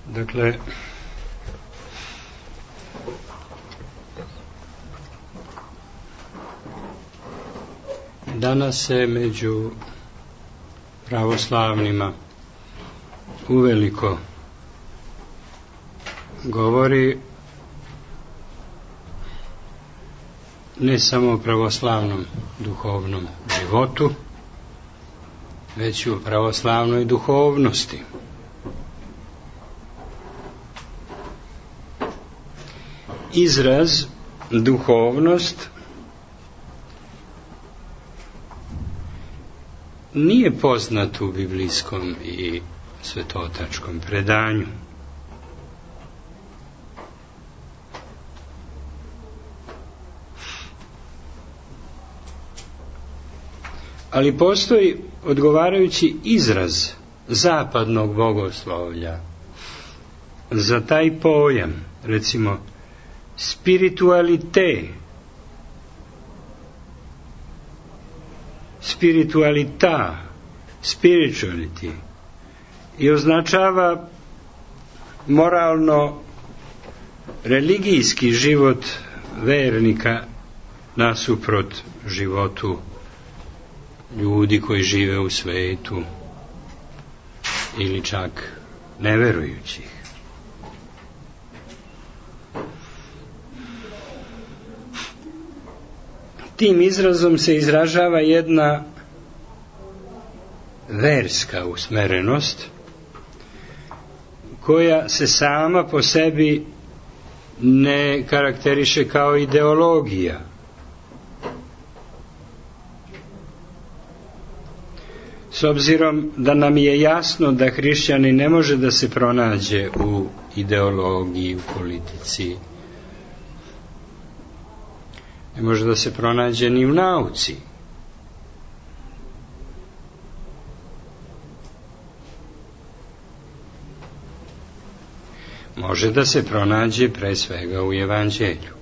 Dakle, danas se među pravoslavnima uveliko govori ne samo o pravoslavnom duhovnom životu, već i o pravoslavnoj duhovnosti. Izraz duhovnost nije poznat u biblijskom i svetotačkom predanju. Ali postoji odgovarajući izraz zapadnog bogoslovlja za taj pojam, recimo spiritualite, spiritualita, spirituality, i označava moralno religijski život vernika nasuprot životu ljudi koji žive u svetu ili čak neverujućih. Tim izrazom se izražava jedna verska usmerenost koja se sama po sebi ne karakteriše kao ideologija. S obzirom da nam je jasno da hrišćani ne može da se pronađe u ideologiji, u politici, ne može da se pronađe ni u nauci. Može da se pronađe pre svega u evanđelju.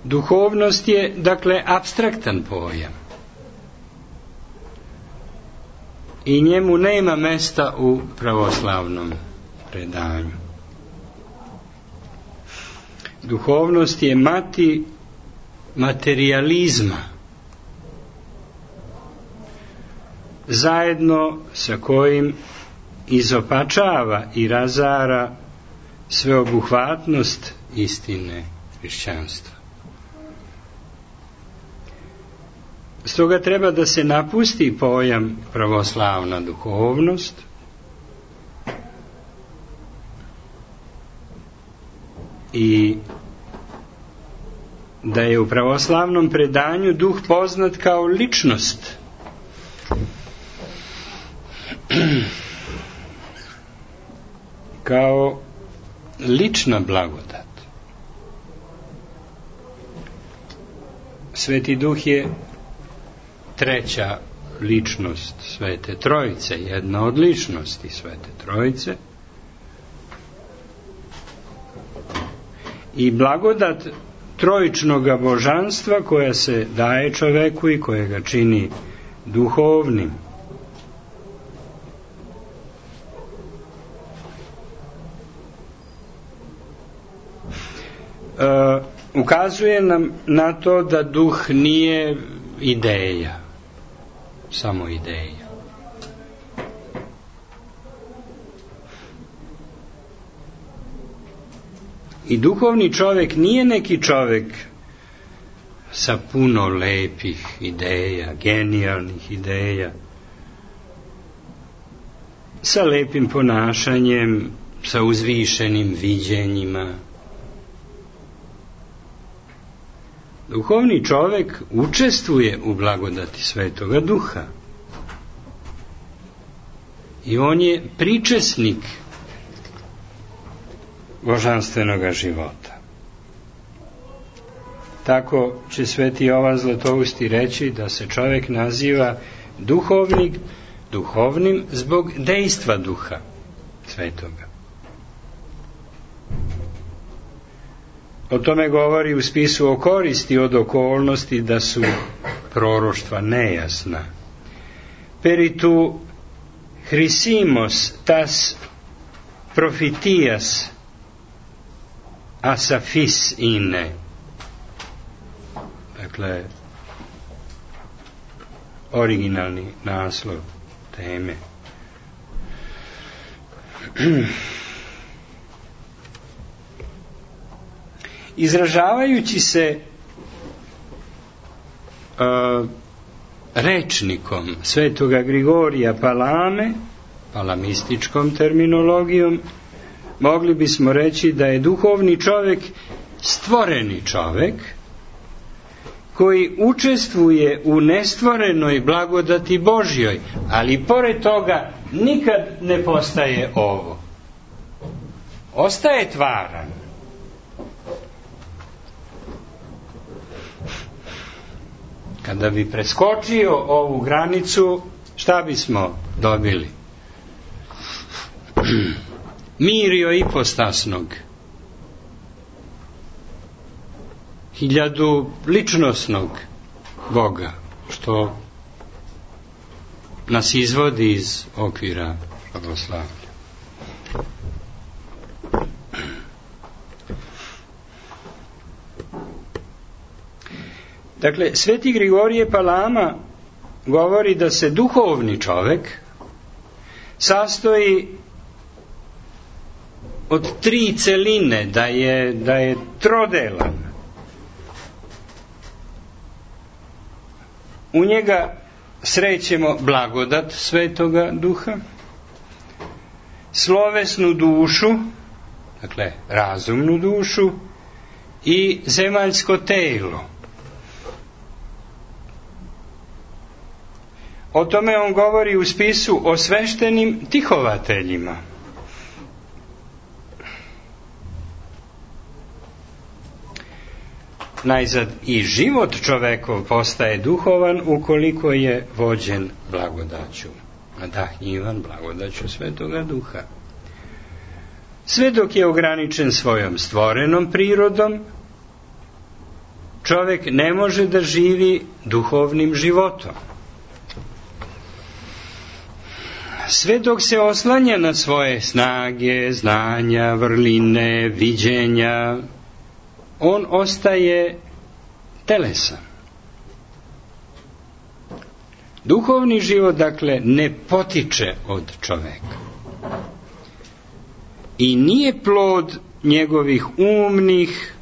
Duhovnost je, dakle, apstraktan pojam i njemu nema mesta u pravoslavnom predanju. Duhovnost je mati materijalizma, zajedno sa kojim izopačava i razara sveobuhvatnost istine hrišćanstva. Stoga treba da se napusti pojam pravoslavna duhovnost i da je u pravoslavnom predanju duh poznat kao ličnost. Kao lična blagodat. Sveti Duh je treća ličnost Svete Trojice, jedna od ličnosti Svete Trojice, i blagodat trojičnoga božanstva koja se daje čoveku i koja ga čini duhovnim. Ukazuje nam na to da duh nije ideja, samo ideja. I duhovni čovjek nije neki čovjek sa puno lepih ideja, genijalnih ideja, sa lepim ponašanjem, sa uzvišenim viđenjima. Duhovni čovjek učestvuje u blagodati Svetoga Duha i on je pričesnik božanstvenoga života. Tako će sveti Jovan Zlatousti reći da se čovjek naziva duhovnim zbog dejstva Duha Svetoga. O tome govori u spisu o koristi od okolnosti da su proroštva nejasna. Peritu Hrisimos tas profitias asafis ine. Dakle, originalni naslov teme. Izražavajući se rečnikom svetoga Grigorija Palame, palamističkom terminologijom, mogli bismo reći da je duhovni čovjek stvoreni čovjek koji učestvuje u nestvorenoj blagodati Božjoj, ali pored toga nikad ne postaje ovo. Ostaje tvaran. Kada bi preskočio ovu granicu, šta bismo dobili? Mirio ipostasnog, 1000 ličnosnog Boga, što nas izvodi iz okvira pravoslavlja. Dakle, sveti Grigorije Palama govori da se duhovni čovjek sastoji od 3 celine, da je trodelan. U njega srećemo blagodat Svetoga Duha, slovesnu dušu, dakle razumnu dušu, i zemaljsko telo. O tome on govori u spisu o sveštenim tihovateljima. Najzad i život čovekov postaje duhovan ukoliko je vođen blagodaću, nadahnjivan blagodaću Svetoga Duha. Sve dok je ograničen svojom stvorenom prirodom, čovjek ne može da živi duhovnim životom. Sve dok se oslanja na svoje snage, znanja, vrline, viđenja, on ostaje telesan. Duhovni život, dakle, ne potiče od čoveka i nije plod njegovih umnih,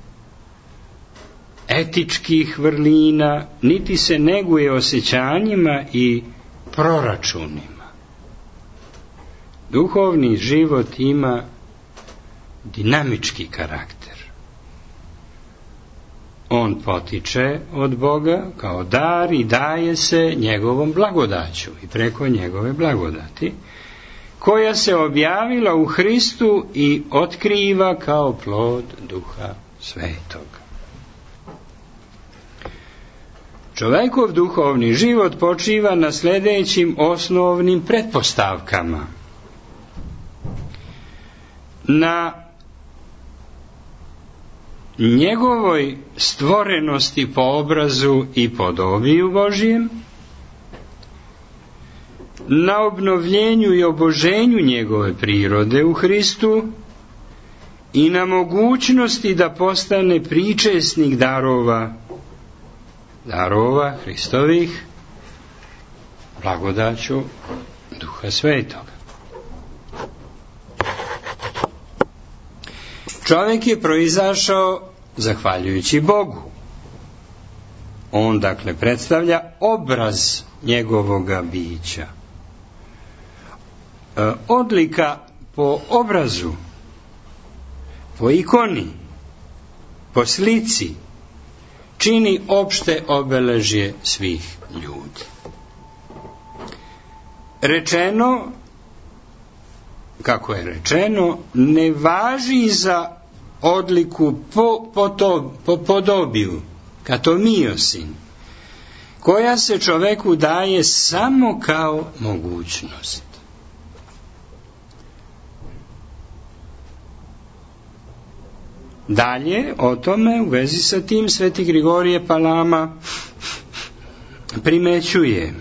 etičkih vrlina, niti se neguje osjećanjima i proračunima. Duhovni život ima dinamički karakter. On potiče od Boga kao dar i daje se njegovom blagodaću i preko njegove blagodati, koja se objavila u Hristu i otkriva kao plod Duha Svetog. Čovekov duhovni život počiva na sljedećim osnovnim pretpostavkama. Na njegovoj stvorenosti po obrazu i podobiju Božijem, na obnovljenju i oboženju njegove prirode u Hristu i na mogućnosti da postane pričesnik darova Hristovih blagodaću Duha Svetoga. Čovjek je proizašao zahvaljujući Bogu. On, dakle, predstavlja obraz njegovoga bića. Odlika po obrazu, po ikoni, po slici, čini opšte obeležje svih ljudi. Rečeno, kako je rečeno, ne važi za odliku po podobiju, katomiosin, koja se čoveku daje samo kao mogućnost. Dalje, o tome, u vezi sa tim, sveti Grigorije Palama primećuje: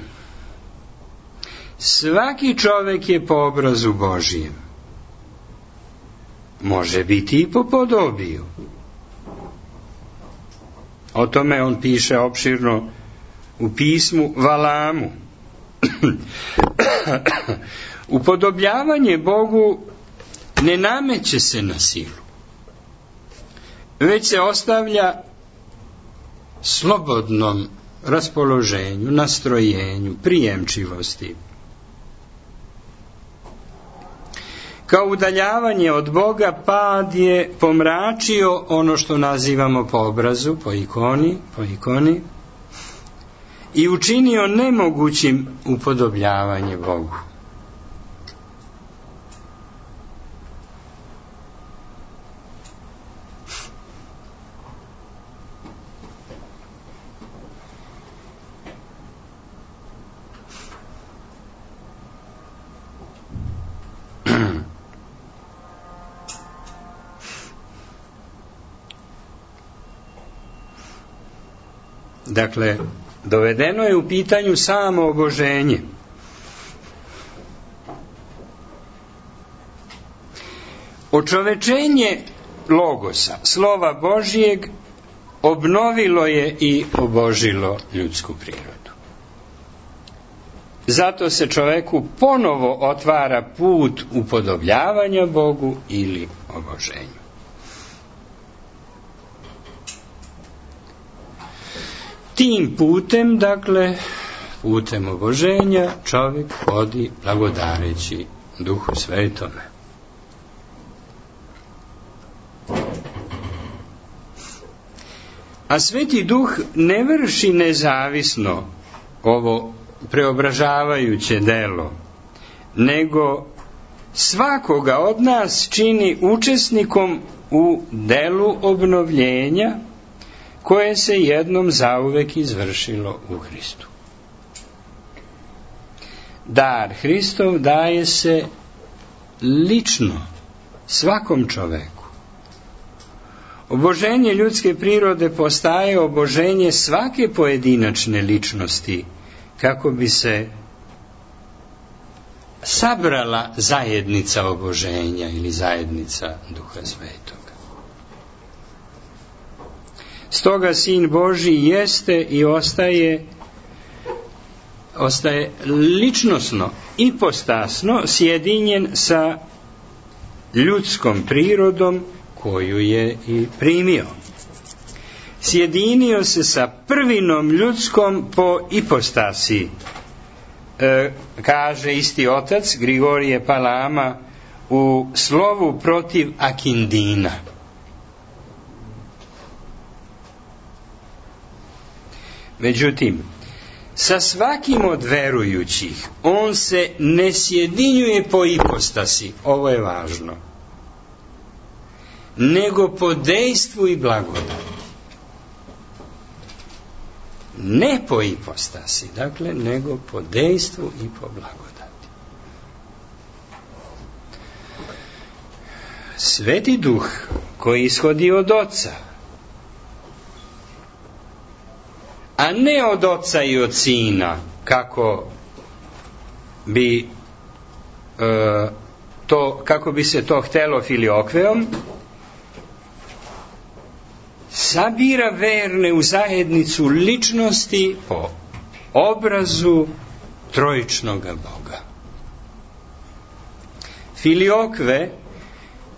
svaki čovek je po obrazu Božijem, može biti i po podobiju. O tome on piše opširno u pismu Valamu. Upodobljavanje Bogu ne nameće se na silu, već se ostavlja slobodnom raspoloženju, nastrojenju, prijemčivosti. Kao udaljavanje od Boga, pad je pomračio ono što nazivamo po obrazu, po ikoni, i učinio nemogućim upodobljavanje Bogu. Dakle, dovedeno je u pitanju samo oboženje. Očovečenje Logosa, slova Božijeg, obnovilo je i obožilo ljudsku prirodu. Zato se čoveku ponovo otvara put upodobljavanja Bogu ili oboženju. Tim putem, dakle, putem oboženja, čovjek hodi blagodareći Duhu Svetome. A Sveti Duh ne vrši nezavisno ovo preobražavajuće delo, nego svakoga od nas čini učesnikom u delu obnovljenja koje se jednom zauvek izvršilo u Hristu. Dar Hristov daje se lično svakom čoveku. Oboženje ljudske prirode postaje oboženje svake pojedinačne ličnosti, kako bi se sabrala zajednica oboženja ili zajednica Duha Svetoga. Stoga Sin Božji jeste i ostaje ličnosno, ipostasno sjedinjen sa ljudskom prirodom koju je i primio. Sjedinio se sa prvinom ljudskom po ipostasi, kaže isti otac Grigorije Palama u slovu protiv Akindina. Međutim, sa svakim od verujućih on se ne sjedinjuje po ipostasi, ovo je važno, nego po dejstvu i blagodati. Ne po ipostasi, dakle, nego po dejstvu i po blagodati. Sveti Duh koji ishodi od Oca, a ne od Oca i od Sina, kako bi se to htelo filiokveom, sabira verne u zajednicu ličnosti po obrazu trojičnoga Boga. Filiokve,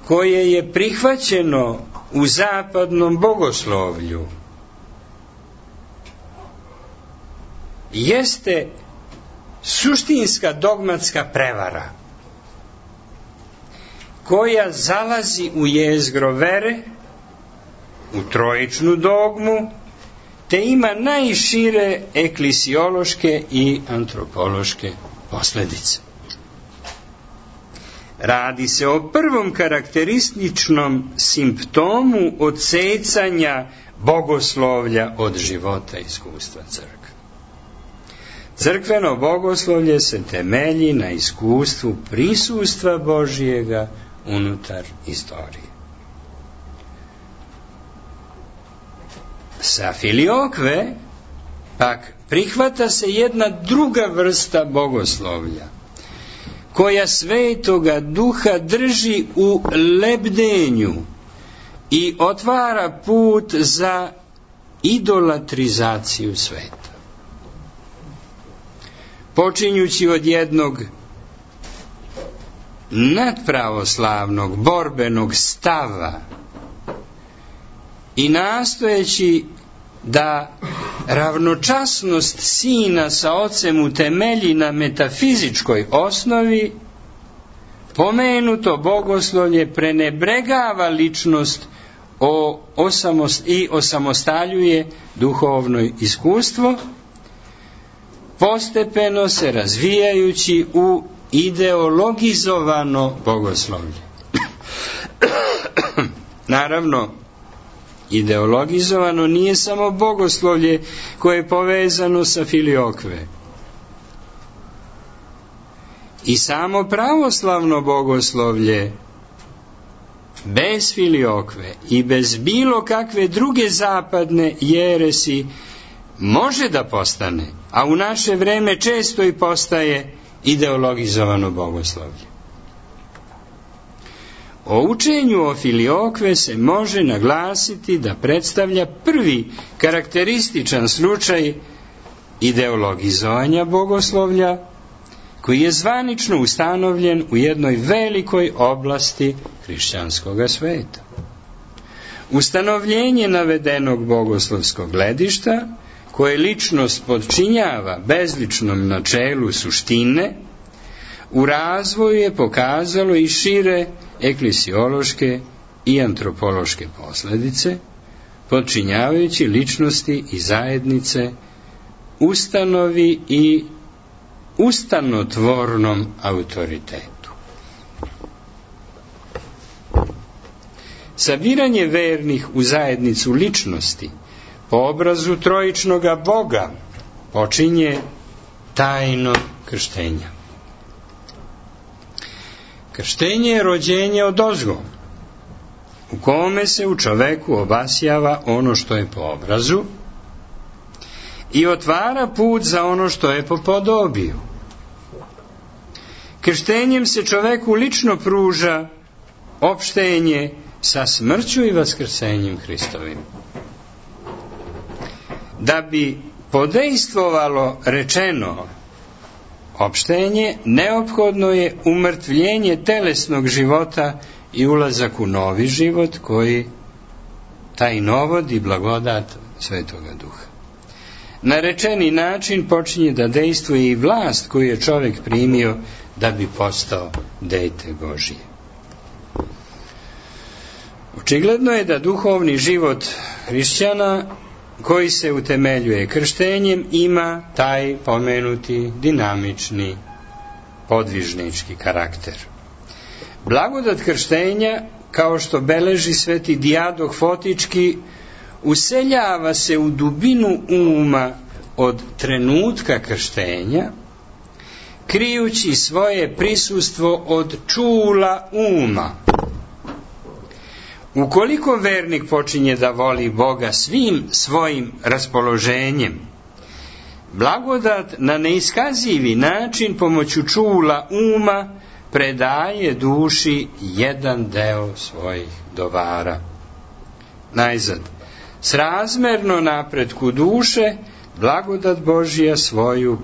koje je prihvaćeno u zapadnom bogoslovlju, jeste suštinska dogmatska prevara koja zalazi u jezgro vere, u trojičnu dogmu, te ima najšire eklisiološke i antropološke posljedice. Radi se o prvom karakterističnom simptomu odsecanja bogoslovlja od života i iskustva crkve. Crkveno bogoslovlje se temelji na iskustvu prisustva Božijega unutar istorije. Sa filiokve pak prihvata se jedna druga vrsta bogoslovlja, koja Svetoga Duha drži u lebdenju i otvara put za idolatrizaciju sveta. Počinjući od jednog nadpravoslavnog borbenog stava i nastojeći da ravnočasnost Sina sa Ocem utemelji na metafizičkoj osnovi, pomenuto bogoslovlje prenebregava ličnost i osamostaljuje duhovno iskustvo, postepeno se razvijajući u ideologizovano bogoslovlje. Naravno, ideologizovano nije samo bogoslovlje koje je povezano sa filiokve. I samo pravoslavno bogoslovlje bez filiokve i bez bilo kakve druge zapadne jeresi može da postane, a u naše vreme često i postaje ideologizovano bogoslovlje. O učenju o filiokve se može naglasiti da predstavlja prvi karakterističan slučaj ideologizovanja bogoslovlja, koji je zvanično ustanovljen u jednoj velikoj oblasti hrišćanskog sveta. Ustanovljenje navedenog bogoslovskog gledišta, koje ličnost podčinjava bezličnom načelu suštine, u razvoju je pokazalo i šire eklesiološke i antropološke posljedice, podčinjavajući ličnosti i zajednice ustanovi i ustanotvornom autoritetu. Sabiranje vernih u zajednicu ličnosti po obrazu trojičnoga Boga počinje tajno krštenja. Krštenje je rođenje odozgo, u kome se u čoveku obasjava ono što je po obrazu i otvara put za ono što je po podobiju. Krštenjem se čoveku lično pruža opštenje sa smrću i vaskrsenjem Hristovim. Da bi podejstvovalo rečeno opštenje, neophodno je umrtvljenje telesnog života i ulazak u novi život, koji taj novod i blagodat Svetoga Duha. Na rečeni način počinje da dejstvuje i vlast koju je čovjek primio da bi postao dete Božije. Očigledno je da duhovni život hrišćana, koji se utemeljuje krštenjem, ima taj pomenuti dinamični podvižnički karakter. Blagodat krštenja, kao što beleži sveti Dijadoh Fotički, useljava se u dubinu uma od trenutka krštenja, krijući svoje prisustvo od čula uma. Ukoliko vernik počinje da voli Boga svim svojim raspoloženjem, blagodat na neiskazivi način pomoću čula uma predaje duši jedan deo svojih dobara. Najzad, srazmerno napretku duše, blagodat Božja svoju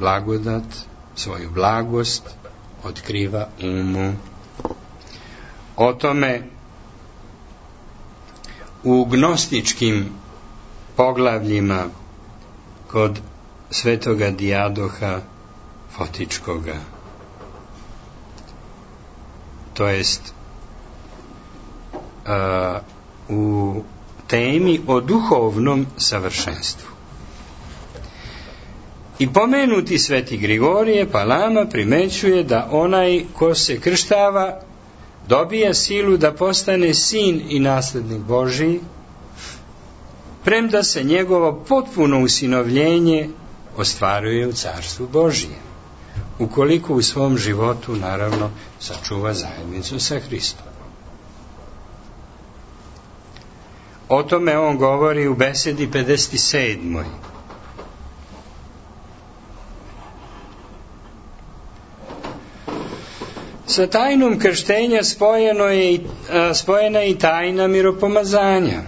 blagost otkriva umu. O tome u gnostičkim poglavljima kod svetoga Dijadoha Fotičkoga, to jest u temi o duhovnom savršenstvu. I pomenuti sveti Grigorije Palama primećuje da onaj ko se krštava dobija silu da postane sin i naslednik Božiji, premda se njegovo potpuno usinovljenje ostvaruje u Carstvu Božijem, ukoliko u svom životu, naravno, sačuva zajednicu sa Hristom. O tome on govori u besedi 57. Sa tajnom krštenja spojena je i tajna miropomazanja.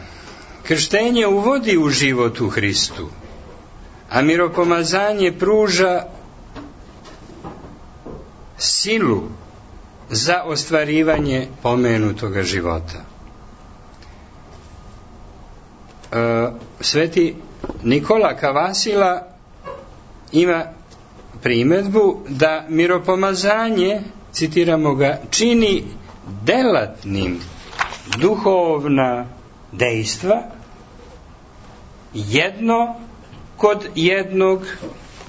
Krštenje uvodi u život u Hristu, a miropomazanje pruža silu za ostvarivanje pomenutoga života. Sveti Nikola Kavasila ima primedbu da miropomazanje, citiramo ga, čini delatnim duhovna dejstva, jedno kod jednog,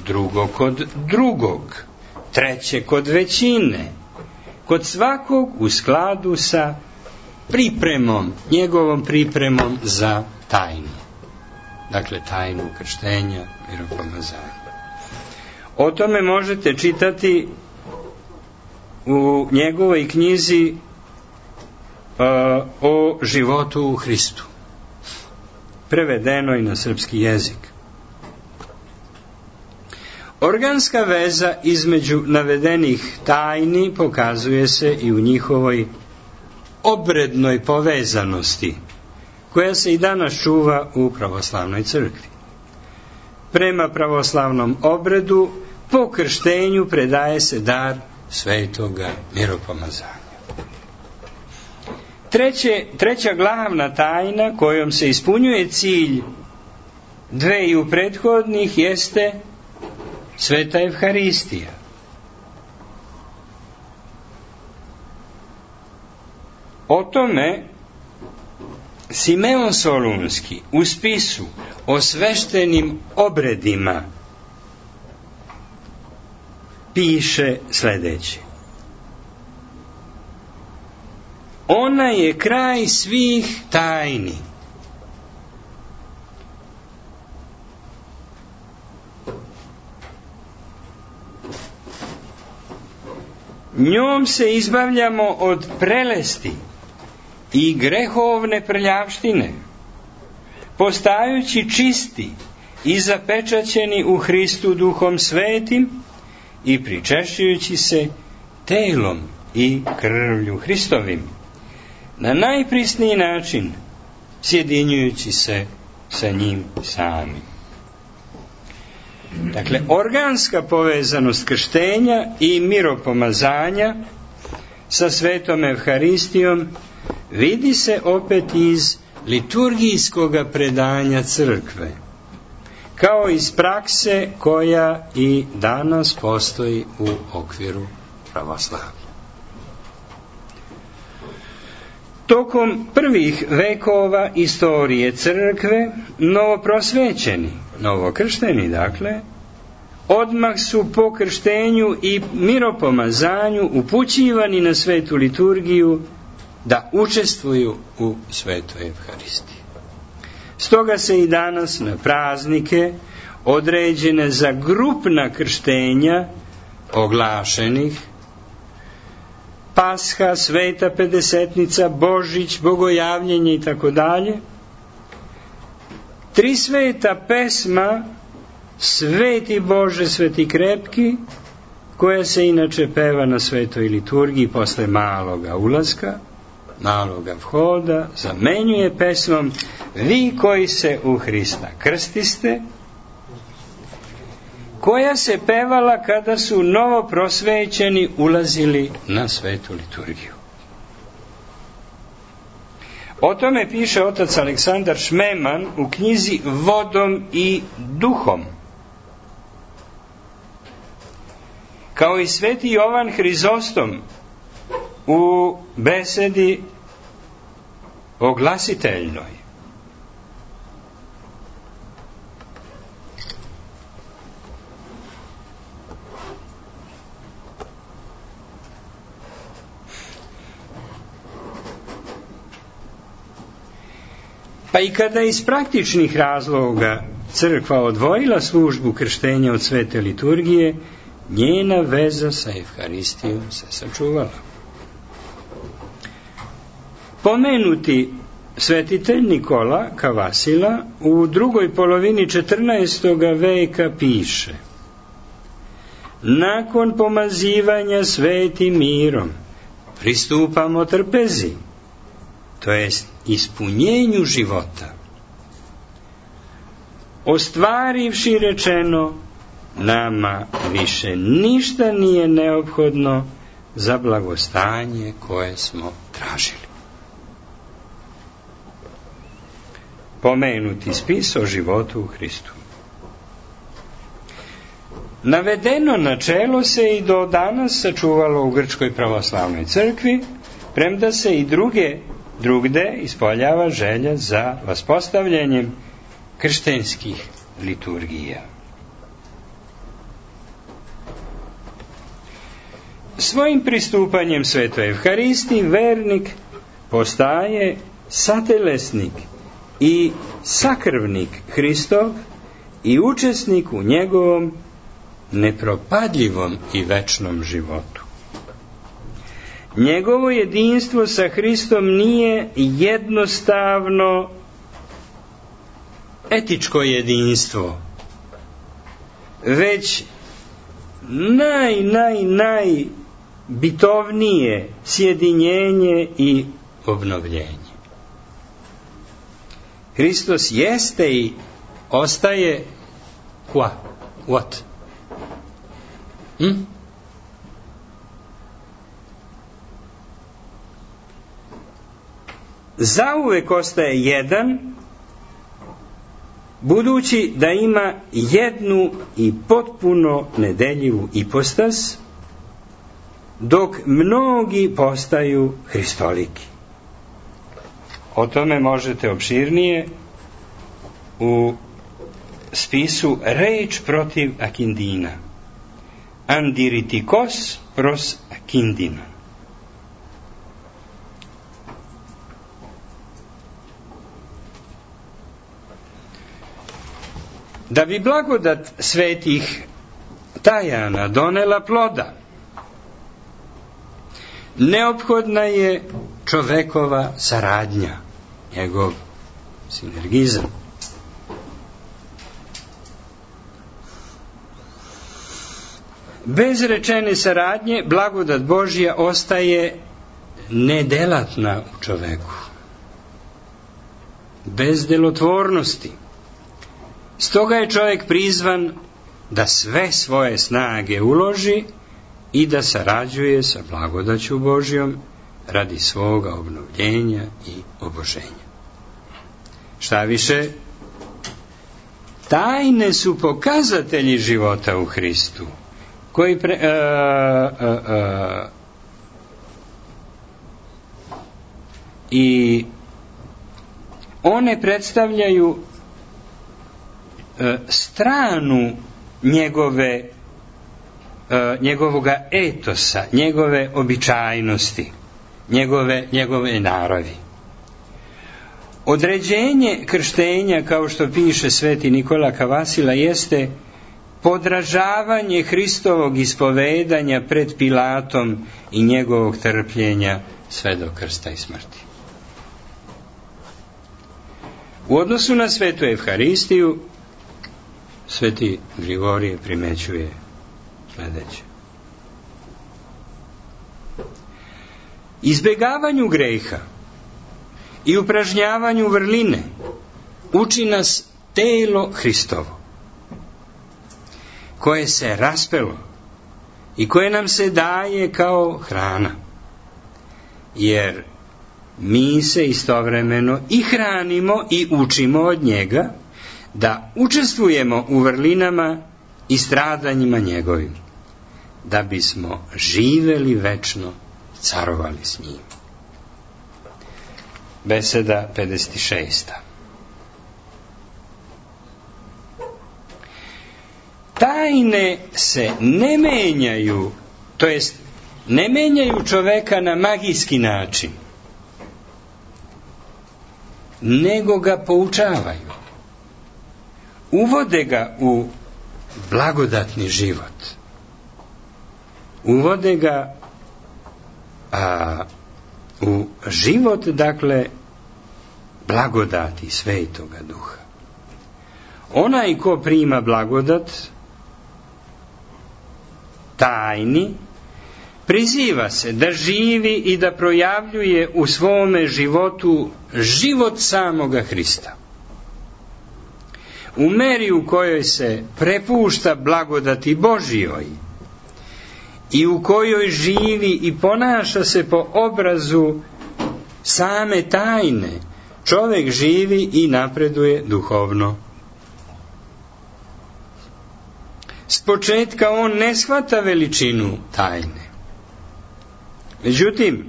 drugo kod drugog, treće kod većine, kod svakog u skladu sa pripremom, njegovom pripremom za tajnu. Dakle, tajnu krštenja, miropomazanja. O tome možete čitati u njegovoj knjizi o životu u Hristu, prevedenoj na srpski jezik. Organska veza između navedenih tajni pokazuje se i u njihovoj obrednoj povezanosti, koja se i danas čuva u pravoslavnoj crkvi. Prema pravoslavnom obredu, po krštenju predaje se dar svetoga miropomazanja. Treća glavna tajna kojom se ispunjuje cilj dveju prethodnih jeste Sveta Evharistija. O tome Simeon Solunski u spisu o sveštenim obredima piše sledeće: ona je kraj svih tajni. Njom se izbavljamo od prelesti i grehovne prljavštine, postajući čisti i zapečaćeni u Hristu Duhom Svetim i pričešćujući se telom i krvlju Hristovim, na najprisniji način sjedinjujući se sa njim samim. Dakle, organska povezanost krštenja i miropomazanja sa Svetom Evharistijom vidi se opet iz liturgijskog predanja crkve, kao iz prakse koja i danas postoji u okviru pravoslavlja. Tokom prvih vekova istorije crkve, novoprosvećeni, novokršteni dakle, odmah su po krštenju i miropomazanju upućivani na svetu liturgiju da učestvuju u svetoj Evharistiji. Stoga se i danas na praznike određene za grupna krštenja oglašenih, Pasha, Sveta Pedesetnica, Božić, Bogojavljenje i tako dalje, tri sveta pesma Sveti Bože, Sveti Krepki, koja se inače peva na svetoj liturgiji posle maloga ulaska, maloga vhoda, zamenjuje pesmom Vi koji se u Hrista krstiste, koja se pevala kada su novoprosvećeni ulazili na svetu liturgiju. O tome piše otac Aleksandar Šmeman u knjizi Vodom i duhom. Kao i sveti Jovan Hrizostom u besedi oglasiteljnoj. Pa i kada iz praktičnih razloga crkva odvojila službu krštenja od svete liturgije, njena veza sa Evharistijom se sačuvala. Pomenuti svetitelj Nikola Kavasila u drugoj polovini 14. veka piše: nakon pomazivanja svetim mirom pristupamo trpezi, to jest ispunjenju života. Ostvarivši rečeno, nama više ništa nije neophodno za blagostanje koje smo tražili. Pomenuti spis o životu u Hristu. Navedeno načelo se i do danas sačuvalo u Grčkoj pravoslavnoj crkvi, premda se i drugde ispoljava želja za vaspostavljanjem krštenskih liturgija. Svojim pristupanjem Svetoj Evharistiji vernik postaje satelesnik i sakrvnik Hristov i učesnik u njegovom nepropadljivom i večnom životu. Njegovo jedinstvo sa Hristom nije jednostavno etičko jedinstvo, već najbitovnije sjedinjenje i obnovljenje. Hristos jeste i ostaje what? Zauvek ostaje jedan, budući da ima jednu i potpuno nedeljivu ipostas, dok mnogi postaju hristoliki. O tome možete opširnije u spisu Reč protiv Akindina. Andiritikos pros Akindina. Da bi blagodat svetih tajana donela ploda, neophodna je čovekova saradnja, njegov sinergizam. Bez rečene saradnje blagodat Božja ostaje nedelatna u čoveku, bez delotvornosti. Stoga je čovjek prizvan da sve svoje snage uloži i da sarađuje sa blagodaću Božjom radi svoga obnovljenja i oboženja. Šta više, tajne su pokazatelji života u Hristu, koji i one predstavljaju stranu njegovoga etosa, njegove običajnosti, njegove naravi. Određenje krštenja, kao što piše sveti Nikola Kavasila, jeste podražavanje Hristovog ispovedanja pred Pilatom i njegovog trpljenja sve do krsta i smrti. U odnosu na svetu Evharistiju, sveti Grigorije primećuje sledeće. Izbegavanju greha i upražnjavanju vrline uči nas telo Hristovo, koje se raspelo i koje nam se daje kao hrana, jer mi se istovremeno i hranimo i učimo od njega da učestvujemo u vrlinama i stradanjima njegovim, da bismo živeli večno, carovali s njim. Beseda 56. Tajne se ne menjaju, to jest ne menjaju čoveka na magijski način, nego ga poučavaju. Uvode ga u blagodatni život. Uvode ga u život, dakle, blagodati Svetoga Duha. Onaj ko prima blagodat tajni, priziva se da živi i da projavljuje u svome životu život samoga Hrista. U meri u kojoj se prepušta blagodati Božjoj i u kojoj živi i ponaša se po obrazu same tajne, čovjek živi i napreduje duhovno. S početka on ne shvata veličinu tajne. Međutim,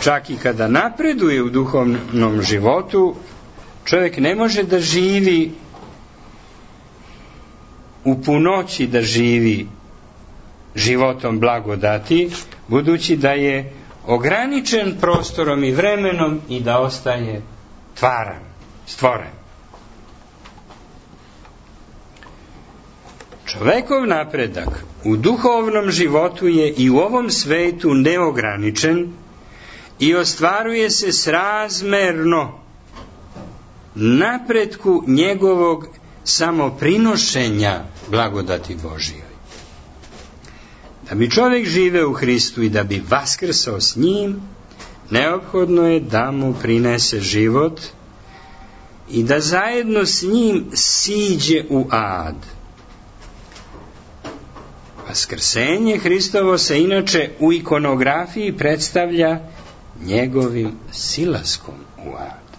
čak i kada napreduje u duhovnom životu, čovjek ne može da živi u punoći, da živi životom blagodati, budući da je ograničen prostorom i vremenom i da ostaje tvaran, stvoren. Čovekov napredak u duhovnom životu je i u ovom svetu neograničen i ostvaruje se srazmerno napretku njegovog samoprinošenja blagodati Božjoj. Da bi čovjek živeo u Hristu i da bi vaskrsao s njim, neophodno je da mu prinese život i da zajedno s njim siđe u ad. Vaskrsenje Hristovo se inače u ikonografiji predstavlja njegovim silaskom u ad.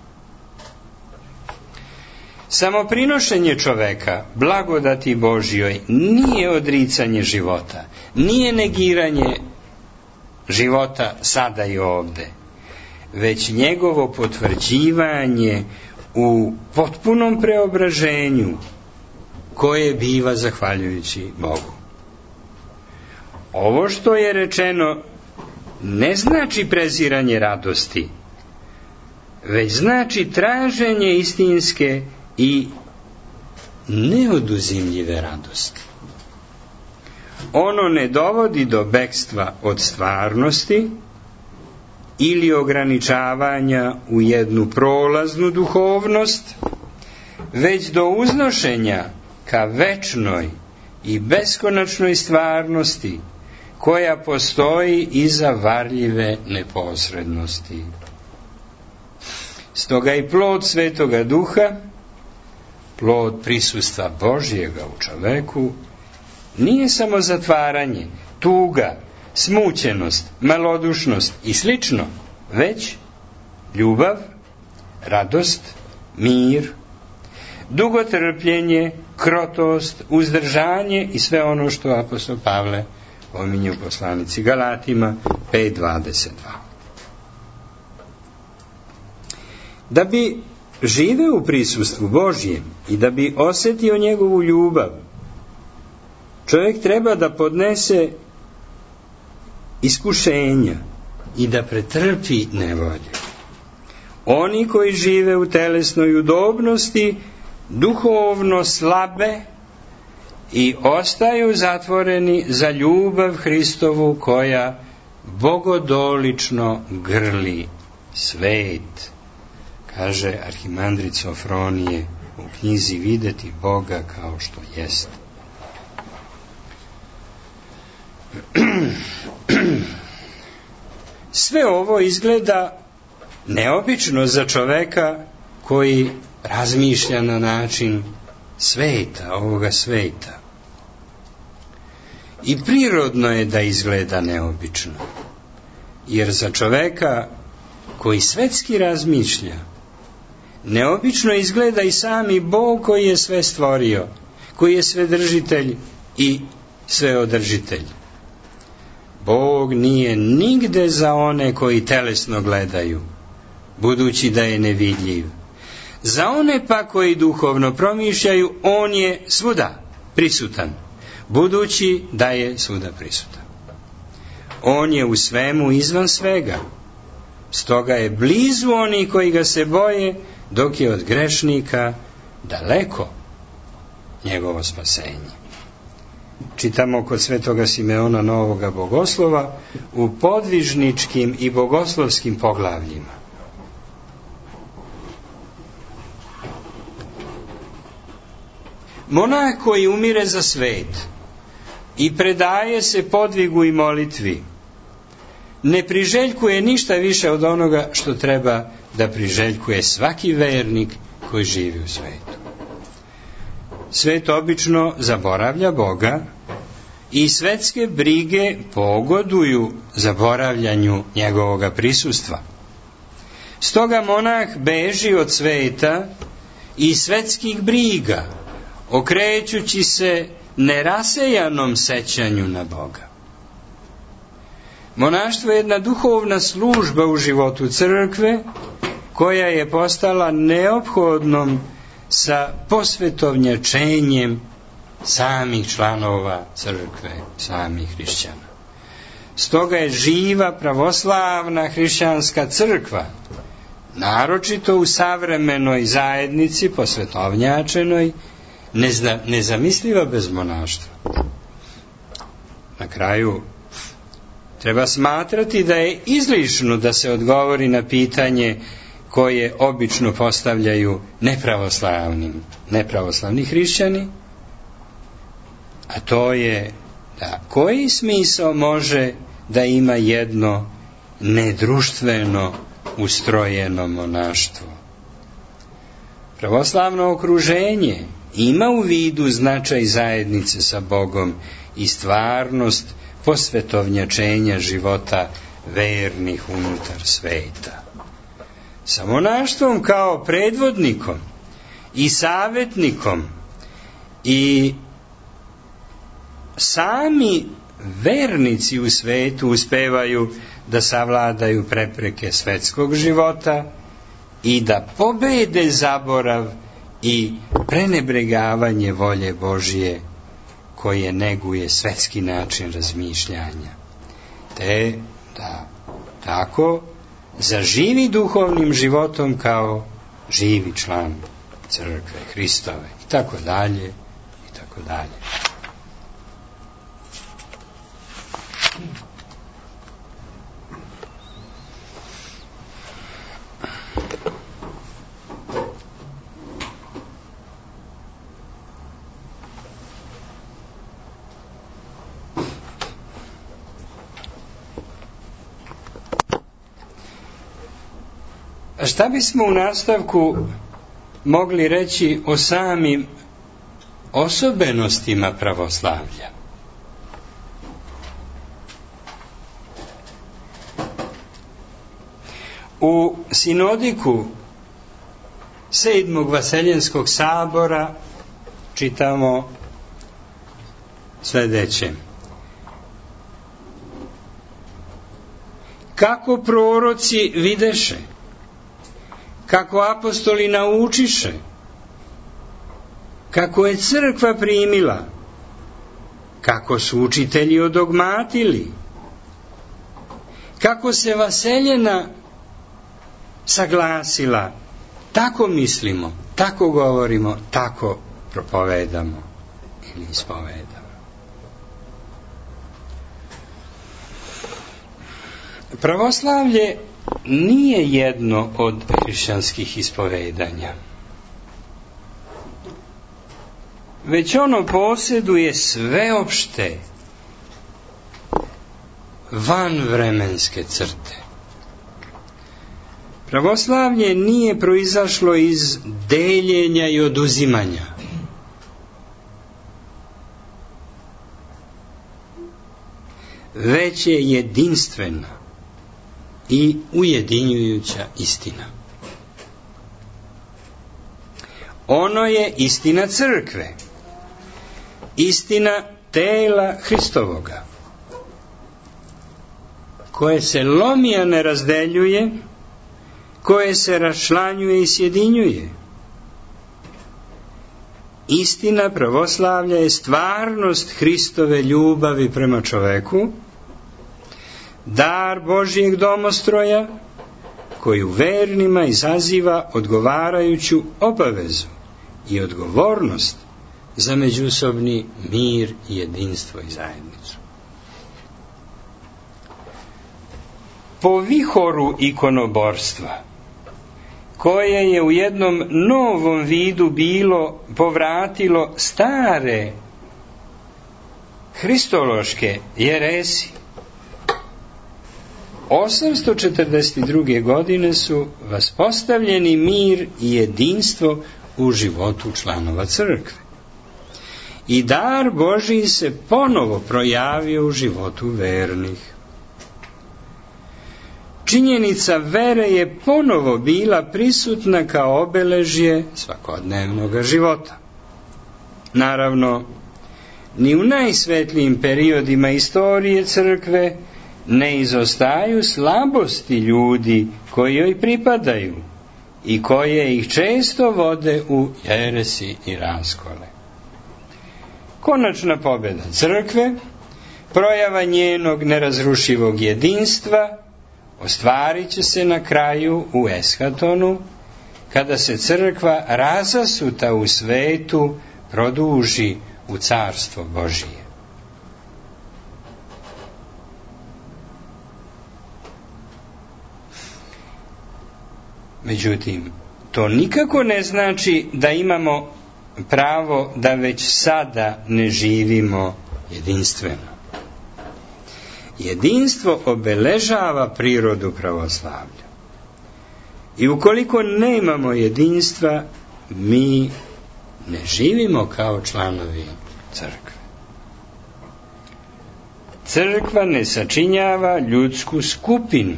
Samoprinošenje čoveka blagodati Božjoj nije odricanje života, nije negiranje života sada i ovde, već njegovo potvrđivanje u potpunom preobraženju koje biva zahvaljujući Bogu. Ovo što je rečeno ne znači preziranje radosti, već znači traženje istinske i neoduzimljive radosti. Ono ne dovodi do bekstva od stvarnosti ili ograničavanja u jednu prolaznu duhovnost, već do uznošenja ka večnoj i beskonačnoj stvarnosti koja postoji iza varljive neposrednosti. Stoga i plod Svetoga Duha, plod prisustva Božjega u čoveku, nije samo zatvaranje, tuga, smućenost, malodušnost i slično, već ljubav, radost, mir, dugotrpljenje, krotost, uzdržanje i sve ono što apostol Pavle pominje u poslanici Galatima 5:22. Da bi živeo u prisustvu Božjem i da bi osjetio njegovu ljubav, čovjek treba da podnese iskušenja i da pretrpi nevolje. Oni koji žive u telesnoj udobnosti duhovno slabe i ostaju zatvoreni za ljubav Hristovu koja bogodolično grli svet. Kaže arhimandrit Sofronije u knjizi Videti Boga kao što jeste. Sve ovo izgleda neobično za čoveka koji razmišlja na način sveta, ovoga sveta. I prirodno je da izgleda neobično, jer za čoveka koji svetski razmišlja, neobično izgleda i sami Bog koji je sve stvorio, koji je svedržitelj i sveodržitelj. Bog nije nigde za one koji telesno gledaju, budući da je nevidljiv. Za one pa koji duhovno promišljaju, on je svuda prisutan, budući da je svuda prisutan. On je u svemu izvan svega, stoga je blizu oni koji ga se boje, dok je od grešnika daleko njegovo spasenje. Čitamo kod Svetoga Simeona Novoga Bogoslova u podvižničkim i bogoslovskim poglavljima. Monah koji umire za svet i predaje se podvigu i molitvi. Ne priželjkuje ništa više od onoga što treba da priželjkuje svaki vernik koji živi u svetu. Svet obično zaboravlja Boga i svetske brige pogoduju zaboravljanju njegovoga prisustva. Stoga monah beži od sveta i svetskih briga, okrećući se nerasejanom sećanju na Boga. Monaštvo je jedna duhovna služba u životu crkve, koja je postala neophodnom sa posvetovnjačenjem samih članova crkve, samih hrišćana. Stoga je živa pravoslavna hrišćanska crkva, naročito u savremenoj zajednici posvetovnjačenoj, nezamisliva bez monaštva. Na kraju, treba smatrati da je izlišno da se odgovori na pitanje koje obično postavljaju nepravoslavni hrišćani, a to je da koji smisao može da ima jedno nedruštveno ustrojeno monaštvo. Pravoslavno okruženje ima u vidu značaj zajednice sa Bogom i stvarnost posvetovnjačenja života vernih unutar sveta. Sa monaštvom kao predvodnikom i savjetnikom i sami vernici u svetu uspevaju da savladaju prepreke svetskog života i da pobede zaborav i prenebregavanje volje Božije koje neguje svetski način razmišljanja, te da tako zaživi duhovnim životom kao živi član crkve Hristove i tako dalje i tako dalje. Šta bismo u nastavku mogli reći o samim osobenostima pravoslavlja? U sinodiku 7. Vaseljenskog sabora čitamo sledeće. Kako proroci videše, kako apostoli naučiše, kako je crkva primila, kako su učitelji odogmatili, kako se vaseljena saglasila, tako mislimo, tako govorimo, tako propovedamo ili ispovedamo. Pravoslavlje nije jedno od hrišćanskih ispovedanja, već ono posjeduje sveopšte vanvremenske crte. Pravoslavlje nije proizašlo iz deljenja i oduzimanja, već je jedinstvena i ujedinjujuća istina. Ono je istina crkve, istina tela Hristovoga, koje se lomi, a ne razdeljuje, koje se raščlanjuje i sjedinjuje. Istina pravoslavlja je stvarnost Hristove ljubavi prema čoveku, dar Božijeg domostroja, koji u vernima izaziva odgovarajuću obavezu i odgovornost za međusobni mir, jedinstvo i zajednicu. Po vihoru ikonoborstva, koje je u jednom novom vidu bilo povratilo stare hristološke jeresi. 842. godine su vaspostavljeni mir i jedinstvo u životu članova crkve. I dar Božiji se ponovo projavio u životu vernih. Činjenica vere je ponovo bila prisutna kao obeležje svakodnevnog života. Naravno, ni u najsvetlijim periodima istorije crkve ne izostaju slabosti ljudi koji joj pripadaju i koje ih često vode u jeresi i raskole. Konačna pobjeda crkve, projava njenog nerazrušivog jedinstva, ostvarit će se na kraju u eshatonu, kada se crkva razasuta u svetu produži u carstvo Božije. Međutim, to nikako ne znači da imamo pravo da već sada ne živimo jedinstveno. Jedinstvo obeležava prirodu pravoslavlja. I ukoliko nemamo jedinstva, mi ne živimo kao članovi crkve. Crkva ne sačinjava ljudsku skupinu,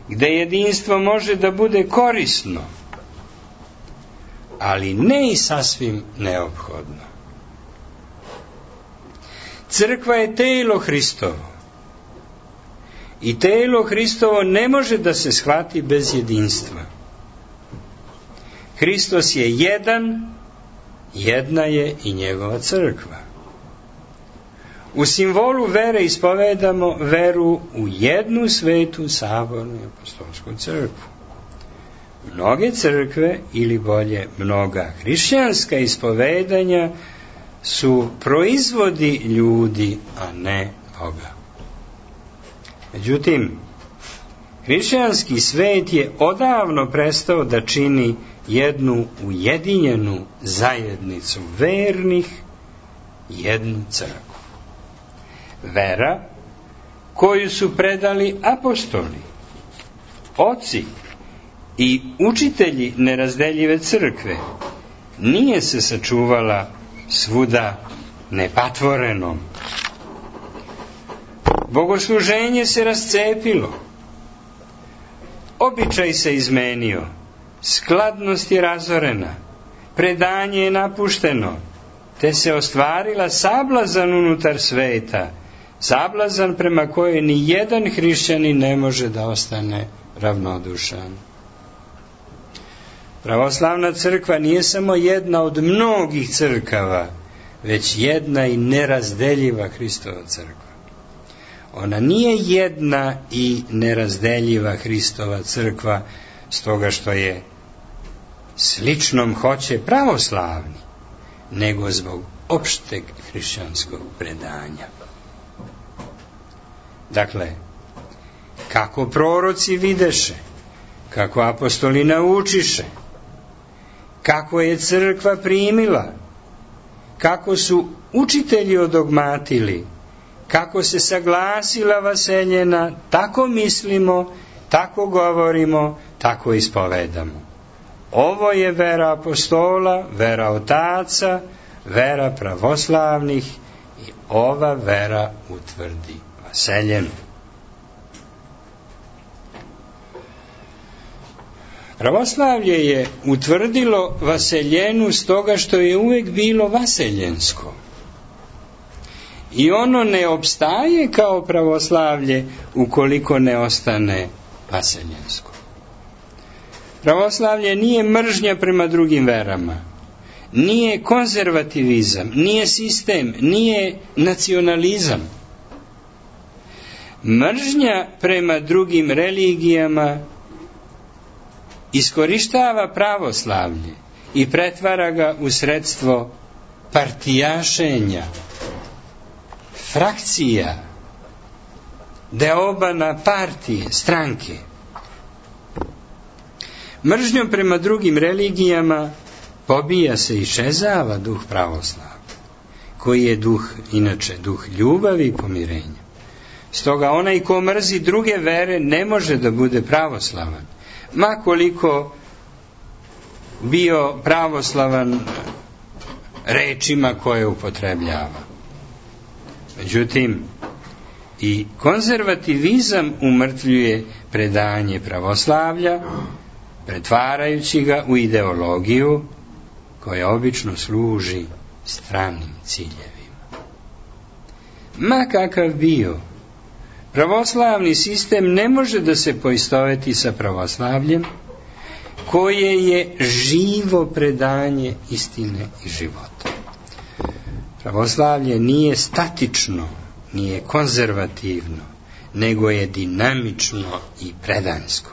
gde jedinstvo može da bude korisno, ali ne i sasvim neophodno. Crkva je telo Hristovo i telo Hristovo ne može da se shvati bez jedinstva. Hristos je jedan, jedna je i njegova crkva. U simbolu vere ispovedamo veru u jednu svetu, sabornu i apostolsku crkvu. Mnoge crkve, ili bolje mnoga hrišćanska ispovedanja, su proizvodi ljudi, a ne Boga. Međutim, hrišćanski svet je odavno prestao da čini jednu ujedinjenu zajednicu vernih, jednu crkvu. Vera koju su predali apostoli, oci i učitelji nerazdeljive crkve nije se sačuvala svuda nepatvorenom. Bogosluženje se rascepilo, običaj se izmenio, skladnost je razorena, predanje je napušteno, te se ostvarila sablazan unutar sveta, sablazan prema kojoj ni jedan hrišćanin ne može da ostane ravnodušan. Pravoslavna crkva nije samo jedna od mnogih crkava, već jedna i nerazdeljiva Hristova crkva. Ona nije jedna i nerazdeljiva Hristova crkva stoga što je sličnom hoće pravoslavni, nego zbog opšteg hrišćanskog predanja. Dakle, kako proroci videše, kako apostoli naučiše, kako je crkva primila, kako su učitelji odogmatili, kako se saglasila vaseljena, tako mislimo, tako govorimo, tako ispovedamo. Ovo je vera apostola, vera otaca, vera pravoslavnih i ova vera utvrdi vaseljenu. Pravoslavlje je utvrdilo vaseljenu stoga što je uvek bilo vaseljensko. I ono ne opstaje kao pravoslavlje ukoliko ne ostane vaseljensko. Pravoslavlje nije mržnja prema drugim verama, nije konzervativizam, nije sistem, nije nacionalizam. Mržnja prema drugim religijama iskorištava pravoslavlje i pretvara ga u sredstvo partijašenja, frakcija, deobana partije, stranke. Mržnjom prema drugim religijama pobija se i šezava duh pravoslavlja, koji je duh, inače duh ljubavi i pomirenja. Stoga onaj ko mrzi druge vere ne može da bude pravoslavan, ma koliko bio pravoslavan rečima koje upotrebljava. Međutim, i konzervativizam umrtvljuje predanje pravoslavlja, pretvarajući ga u ideologiju koja obično služi stranim ciljevima. Ma kakav bio, pravoslavni sistem ne može da se poistoveti sa pravoslavljem, koje je živo predanje istine i života. Pravoslavlje nije statično, nije konzervativno, nego je dinamično i predansko.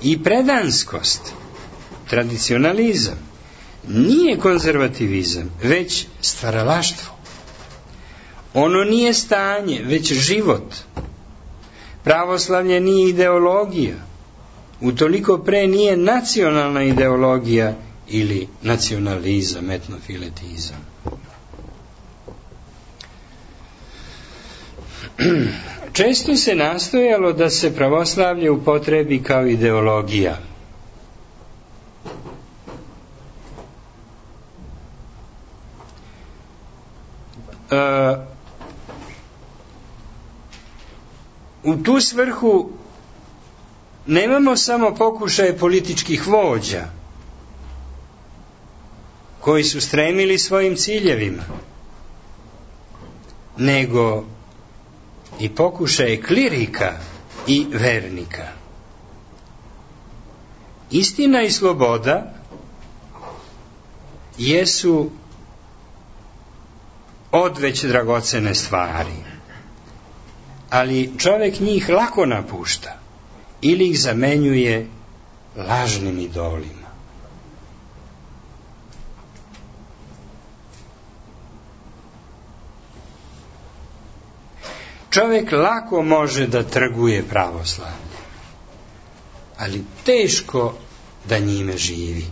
I predanskost, tradicionalizam, nije konzervativizam, već stvaralaštvo. Ono nije stanje, već život. Pravoslavlje nije ideologija, utoliko pre nije nacionalna ideologija ili nacionalizam, etnofiletizam. Često se nastojalo da se pravoslavlje upotrebi kao ideologija. U tu svrhu nemamo samo pokušaje političkih vođa koji su stremili svojim ciljevima, nego i pokušaje klirika i vernika. Istina i sloboda jesu odveć dragocene stvari, ali čovjek njih lako napušta ili ih zamenjuje lažnim idolima. Čovjek lako može da trguje pravoslavlje, ali teško da njime živi.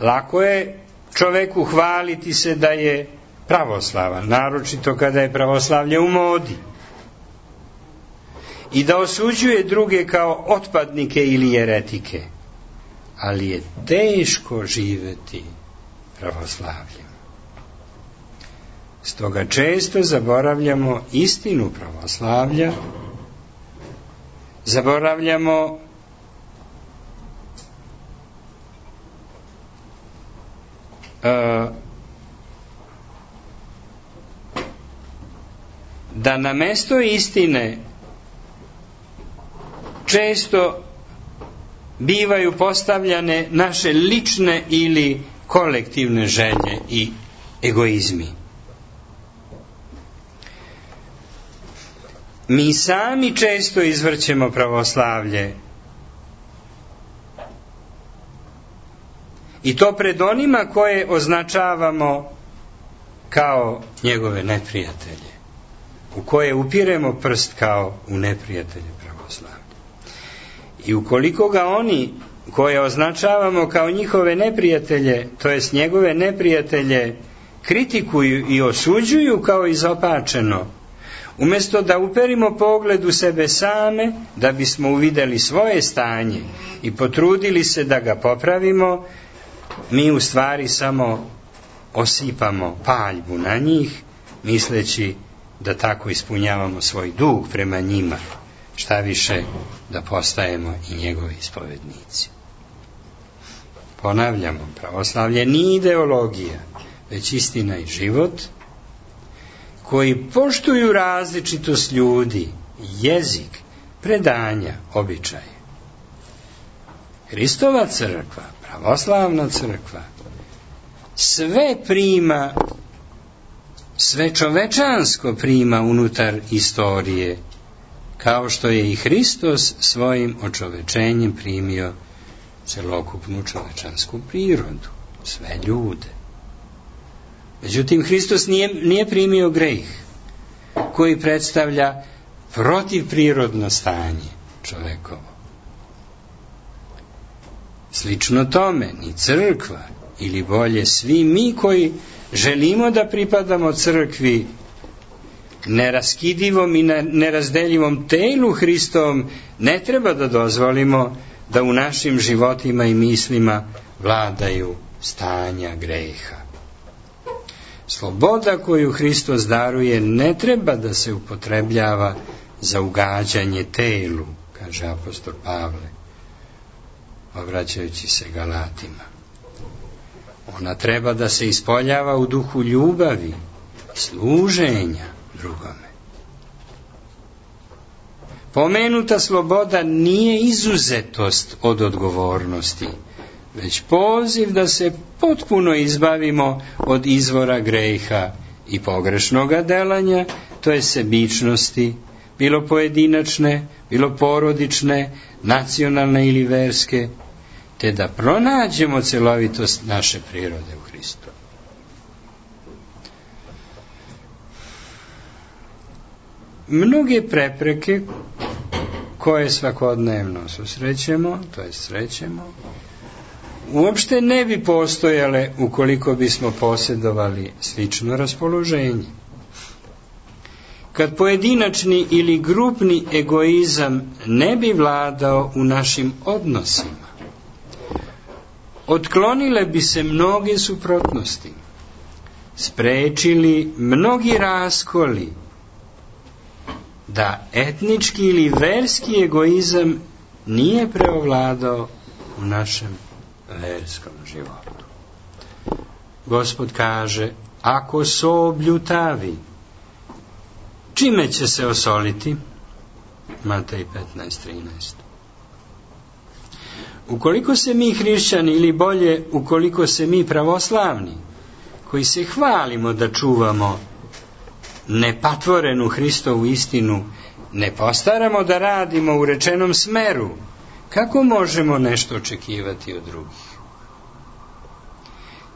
Lako je čovjeku hvaliti se da je pravoslavan, naročito kada je pravoslavlje u modi, i da osuđuje druge kao otpadnike ili jeretike, ali je teško živeti pravoslavljem. Stoga često zaboravljamo istinu pravoslavlja, zaboravljamo da na mesto istine često bivaju postavljane naše lične ili kolektivne želje i egoizmi. Mi sami često izvrćemo pravoslavlje, i to pred onima koje označavamo kao njegove neprijatelje, u koje upiremo prst kao u neprijatelje pravoslavlja. I ukoliko ga oni koje označavamo kao njihove neprijatelje, to jest njegove neprijatelje, kritikuju i osuđuju kao izopačeno, umjesto da uperimo pogled u sebe same, da bismo uvidjeli svoje stanje i potrudili se da ga popravimo, mi u stvari samo osipamo paljbu na njih, misleći da tako ispunjavamo svoj dug prema njima, šta više da postajemo i njegovi ispovednici. Ponavljamo, pravoslavlje nije ideologija, već istina i život, koji poštuju različitost ljudi, jezik, predanja, običaje. Hristova crkva, pravoslavna crkva, sve prima, sve čovečansko prima unutar istorije, kao što je i Hristos svojim očovečenjem primio celokupnu čovečansku prirodu, sve ljude. Međutim, Hristos nije primio greh, koji predstavlja protivprirodno stanje čovekovo. Slično tome, ni crkva ili bolje svi mi koji želimo da pripadamo crkvi, neraskidivom i nerazdeljivom telu Hristovom, ne treba da dozvolimo da u našim životima i mislima vladaju stanja greha. Sloboda koju Hristos daruje ne treba da se upotrebljava za ugađanje telu, kaže apostol Pavle, obraćajući se Galatima. Ona treba da se ispoljava u duhu ljubavi, služenja drugome. Pomenuta sloboda nije izuzetost od odgovornosti, već poziv da se potpuno izbavimo od izvora greha i pogrešnoga delanja, to je sebičnosti, bilo pojedinačne, bilo porodične, nacionalne ili verske, te da pronađemo celovitost naše prirode u Hristu. Mnoge prepreke koje svakodnevno susrećemo, to jest srećemo, uopšte ne bi postojale ukoliko bismo posjedovali slično raspoloženje. Kad pojedinačni ili grupni egoizam ne bi vladao u našim odnosima, otklonile bi se mnoge suprotnosti, sprečili mnogi raskoli, da etnički ili verski egoizam nije preovladao u našem verskom životu. Gospod kaže, ako so bljutavi, čime će se osoliti? Matej 15:13. Ukoliko se mi hrišćani, ili bolje, ukoliko se mi pravoslavni, koji se hvalimo da čuvamo nepatvorenu Hristovu istinu, ne postaramo da radimo u rečenom smeru, kako možemo nešto očekivati od drugih?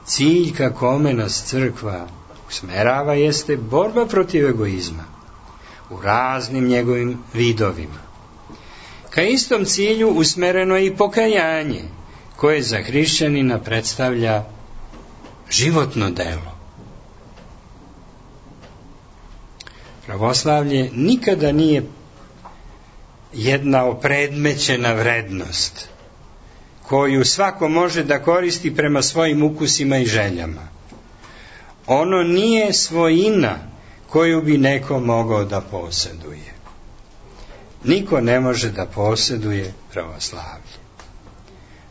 Cilj ka kome nas crkva usmerava jeste borba protiv egoizma u raznim njegovim vidovima. Ka istom cilju usmereno je i pokajanje, koje za hrišćanina predstavlja životno delo. Pravoslavlje nikada nije jedna opredmećena vrednost koju svako može da koristi prema svojim ukusima i željama. Ono nije svojina koju bi neko mogao da posjeduje. Niko ne može da posjeduje pravoslavlje.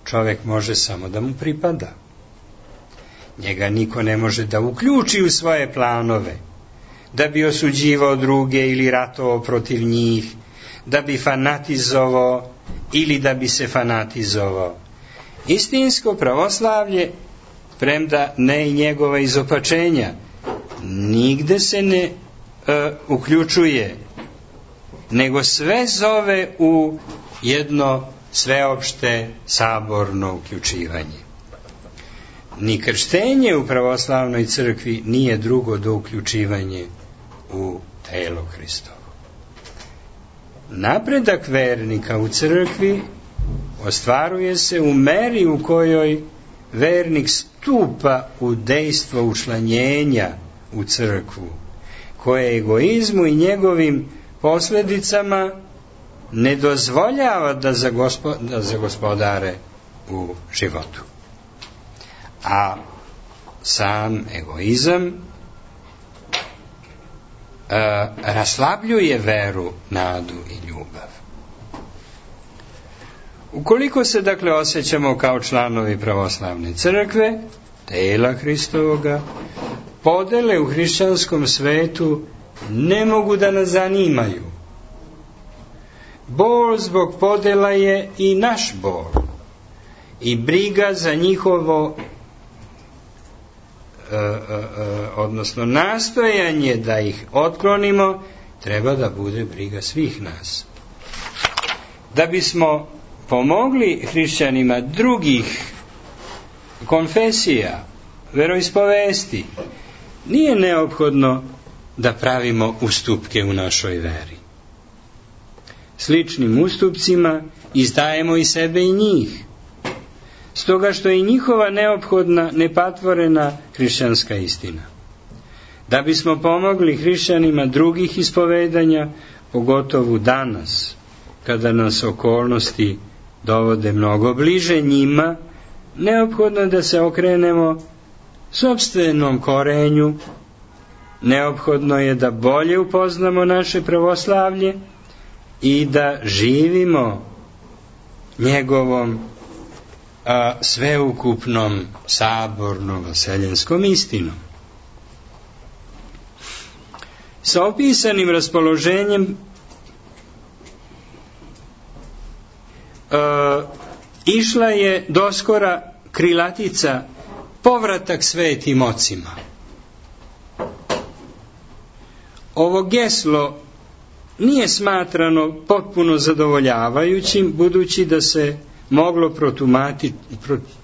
Čovjek može samo da mu pripada. Njega niko ne može da uključi u svoje planove, da bi osuđivao druge ili ratovao protiv njih, da bi fanatizovao ili da bi se fanatizovao. Istinsko pravoslavlje, premda ne i njegova izopačenja, nigde se ne uključuje, nego sve zove u jedno sveopšte saborno uključivanje. Ni krštenje u pravoslavnoj crkvi nije drugo do uključivanje u telo Hristovo. Napredak vernika u crkvi ostvaruje se u meri u kojoj vernik stupa u dejstvo učlanjenja u crkvu, koje egoizmu i njegovim posljedicama ne dozvoljava da zagospodare u životu. A sam egoizam raslabljuje veru, nadu i ljubav. Ukoliko se dakle osjećamo kao članovi pravoslavne crkve, tela Hristovoga, podele u hrišćanskom svetu ne mogu da nas zanimaju. Bol zbog podela je i naš bol, i briga za njihovo odnosno nastojanje da ih otklonimo treba da bude briga svih nas. Da bismo pomogli hrišćanima drugih konfesija, veroispovesti, nije neophodno da pravimo ustupke u našoj veri. Sličnim ustupcima izdajemo i sebe i njih. stoga što je njihova neophodna, nepatvorena hrišćanska istina. Da bismo pomogli hrišćanima drugih ispovedanja, pogotovo danas, kada nas okolnosti dovode mnogo bliže njima, neophodno je da se okrenemo sopstvenom korenju, neophodno je da bolje upoznamo naše pravoslavlje i da živimo njegovom sveukupnom sabornom vaseljenskom istinom. Sa opisanim raspoloženjem išla je doskora krilatica povratak svetim ocima. Ovo geslo nije smatrano potpuno zadovoljavajućim, budući da se moglo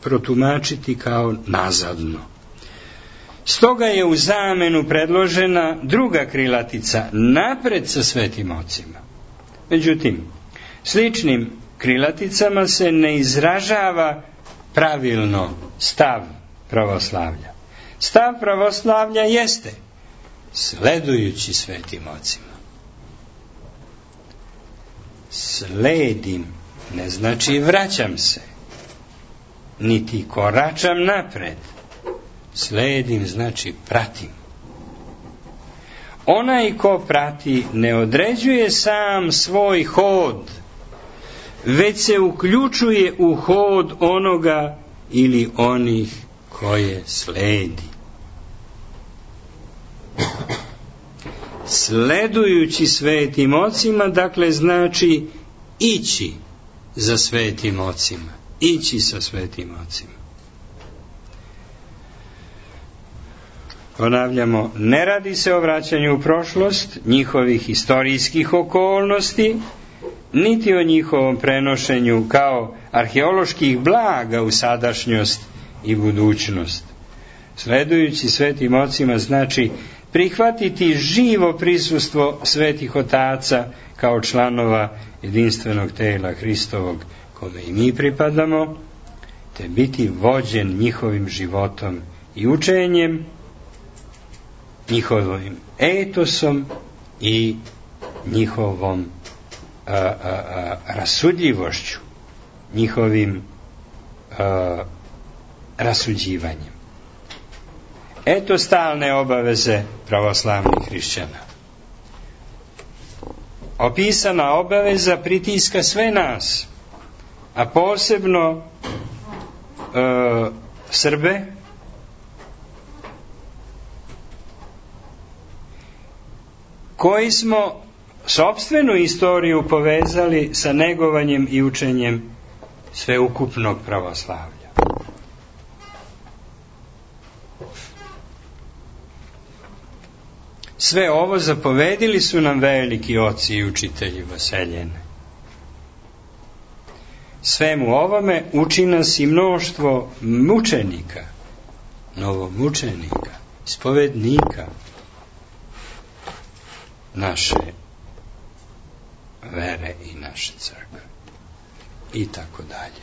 protumačiti kao nazadno. Stoga je u zamenu predložena druga krilatica, napred sa svetim ocima. Međutim, sličnim krilaticama se ne izražava pravilno stav pravoslavlja. Stav pravoslavlja jeste sledujući svetim ocima. Sledim ne znači vraćam se, niti koračam napred. Sledim znači pratim. Onaj ko prati ne određuje sam svoj hod, već se uključuje u hod onoga ili onih koje sledi. Sledujući svetim ocima, dakle, znači ići za svetim ocima, ići sa svetim ocima. Ponavljamo, ne radi se o vraćanju u prošlost, njihovih historijskih okolnosti, niti o njihovom prenošenju kao arheoloških blaga u sadašnjost i budućnost. Sledujući svetim ocima znači prihvatiti živo prisustvo svetih otaca kao članova jedinstvenog tela Hristovog, kome i mi pripadamo, te biti vođen njihovim životom i učenjem, njihovim etosom i njihovom rasudljivošću, njihovim rasuđivanjem. Eto stalne obaveze pravoslavnih hrišćana. Opisana obaveza pritiska sve nas, a posebno Srbe, koji smo sopstvenu istoriju povezali sa negovanjem i učenjem sveukupnog pravoslavlja. Sve ovo zapovedili su nam veliki oci i učitelji vaseljene. Svemu ovome uči nas i mnoštvo mučenika, novomučenika, ispovednika naše vere i naše crkve i tako dalje.